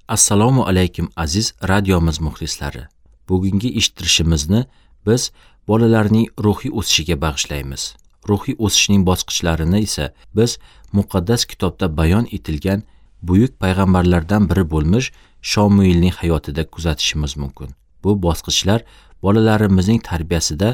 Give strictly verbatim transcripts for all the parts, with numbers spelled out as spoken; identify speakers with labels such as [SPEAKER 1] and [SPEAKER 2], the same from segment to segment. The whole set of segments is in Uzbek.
[SPEAKER 1] Assalomu alaykum aziz radiomiz muxlislari. Bugungi eshittirishimizni biz bolalarning ruhiy o'sishiga bag'ishlaymiz. Ruhiy o'sishning bosqichlarini esa biz muqaddas kitobda bayon etilgan buyuk payg'ambarlardan biri bo'lmish Shomuilning hayotida kuzatishimiz mumkin. Bu bosqichlar bolalarimizning tarbiyasida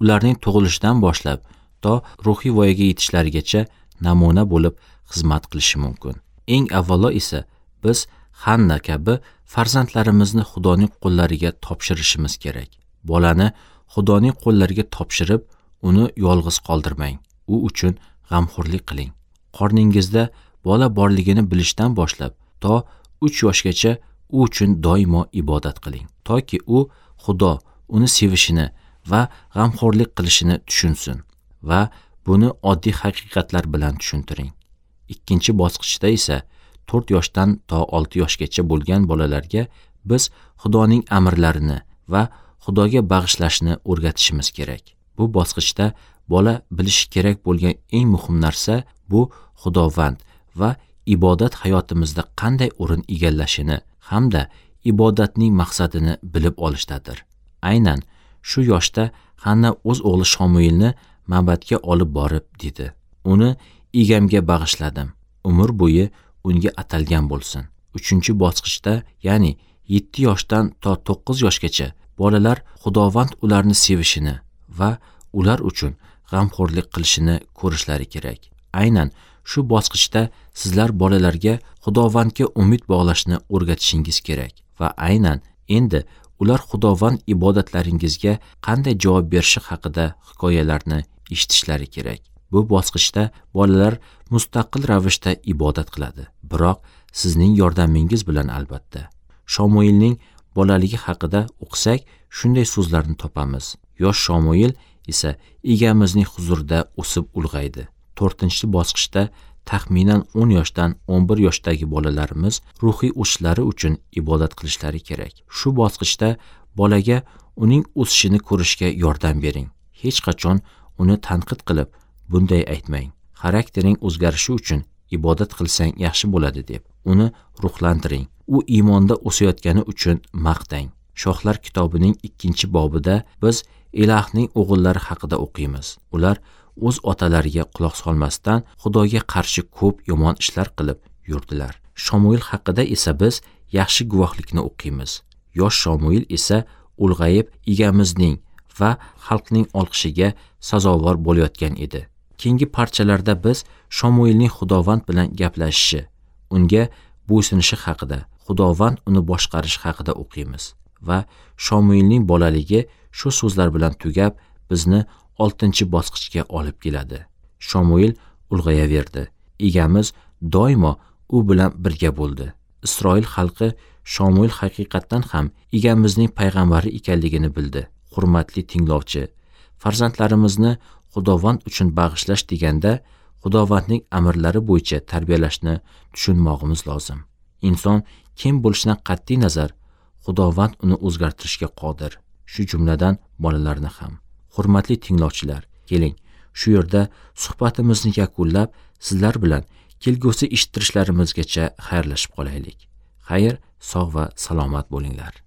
[SPEAKER 1] ularning tug'ilishidan boshlab to ruhiy voyaga yetishlarigacha namuna bo'lib xizmat qilishi mumkin. Eng avvalo esa biz Hanna kabi farzandlarimizni Xudoning qo'llariga topshirishimiz kerak. Bolani Xudoning qo'llariga topshirib, uni yolg'iz qoldirmang. U uchun g'amxo'rlik qiling. Qorningizda bola borligini bilishdan boshlab to uch yoshgacha u uchun doimo ibodat qiling, toki u Xudo uni sevishini va g'amxo'rlik qilishini tushunsin va buni oddiy haqiqatlar bilan tushuntiring. Ikkinchi bosqichda esa to'rt yoshdan to olti yoshgacha bo'lgan bolalarga biz Xudoning amrlarini va Xudoga bag'ishlashni o'rgatishimiz kerak. Bu bosqichda bola bilishi kerak bo'lgan eng muhim narsa bu Xudovand va ibodat hayotimizda qanday o'rin egallashini hamda ibodatning maqsadini bilib olishdadir. Aynan shu yoshda Hanna o'z o'g'li Shomuilni ma'badga olib borib dedi: "Uni egamga bag'ishladim. Umr bo'yi unga atalgan bo'lsin." Uchinchi bosqichda, ya'ni yetti yoshdan to to'qqiz yoshgacha bolalar Xudovand ularni sevishini va ular uchun g'amxo'rlik qilishini ko'rishlari kerak. Aynan shu bosqichda sizlar bolalarga Xudovandga umid bog'lashni o'rgatishingiz kerak va aynan endi ular Xudovand ibodatlaringizga qanday javob berishi haqida hikoyalarni eshitishlari kerak. Bu bosqichda bolalar mustaqil ravishda ibodat qiladi, biroq sizning yordamingiz bilan albatta. Shomuilning bolaligi haqida o'qisak, shunday so'zlarni topamiz. Yosh Shomuil esa egamizning huzurida o'sib ulg'aydi. To'rtinchi bosqichda taxminan o'n yoshdan o'n bir yoshdagi bolalarimiz ruhiy o'sishlari uchun ibodat qilishlari kerak. Shu bosqichda bolaga uning o'sishini ko'rishga yordam bering. Hech qachon uni tanqid qilib bunday aytmang: xaraktering o'zgarishi uchun ibodat qilsang yaxshi bo'ladi deb. Uni ruhlantiring. U iymonda o'sayotgani uchun maqtang. Shohlar kitobining ikkinchi bobida biz Elahning o'g'illari haqida o'qiymiz. Ular o'z otalariga quloq solmasdan Xudoga qarshi ko'p yomon ishlar qilib yurdilar. Shomuil haqida esa biz yaxshi guvohlikni o'qiymiz. Yosh Shomuil esa ulg'ayib egamizning va xalqning olqishiga sazovor bo'layotgan edi. Keyingi parchalarda biz Shomuilning Xudovand bilan gaplashishi, unga bo'ysunishi haqida, Xudovand uni boshqarishi haqida o'qiymiz va Shomuilning bolaligi shu so'zlar bilan tugab, bizni oltinchi bosqichga olib keladi. Shomuil ulg'ayaverdi. Egamiz doimo u bilan birga bo'ldi. Isroil xalqi Shomuil haqiqatdan ham egamizning payg'ambari ekanligini bildi. Hurmatli tinglovchi, farzandlarimizni Xudovand uchun bag'ishlash deganda Xudovandning amrlari bo'yicha tarbiyalashni tushunmog'imiz lozim. Inson kim bo'lishidan qat'iy nazar Xudovand uni o'zgartirishga qodir, shu jumladan bolalarni ham. Hurmatli tinglovchilar, keling, shu yerda suhbatimizni yakunlab, sizlar bilan kelgusi eshittirishlarimizgacha xayrlashib qolaylik. Xayr, sog' va salomat bo'linglar.